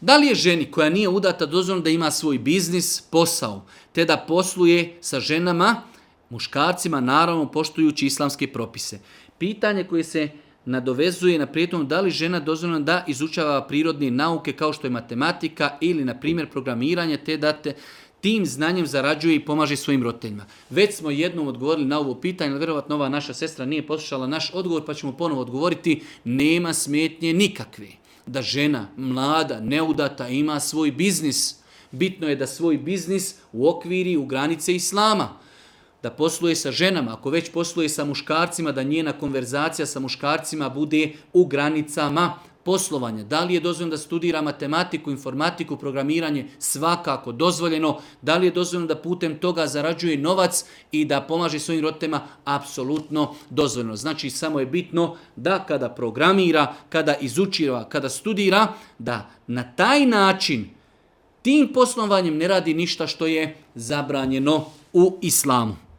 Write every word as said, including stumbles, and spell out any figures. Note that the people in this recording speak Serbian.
Da li je ženi koja nije udata dozvoljeno da ima svoj biznis, posao, te da posluje sa ženama, muškarcima, naravno poštujući islamske propise? Pitanje koje se nadovezuje na prijetnom da li žena dozvoljena da izučava prirodne nauke kao što je matematika ili, na primjer, programiranje, te da te tim znanjem zarađuje i pomaže svojim roditeljima. Već smo jednom odgovorili na ovo pitanje, ali vjerovatno ova naša sestra nije poslušala naš odgovor, pa ćemo ponovo odgovoriti. Nema smetnje nikakve da žena, mlada, neudata, ima svoj biznis. Bitno je da svoj biznis uokviri u granice islama. Da posluje sa ženama, ako već posluje sa muškarcima, da njena konverzacija sa muškarcima bude u granicama poslovanja. Da li je dozvoljeno da studira matematiku, informatiku, programiranje? Svakako dozvoljeno. Da li je dozvoljeno da putem toga zarađuje novac i da pomaže svojim roditeljima? Apsolutno dozvoljeno. Znači samo je bitno da kada programira, kada izučira, kada studira, da na taj način tim poslovanjem ne radi ništa što je zabranjeno u islamu.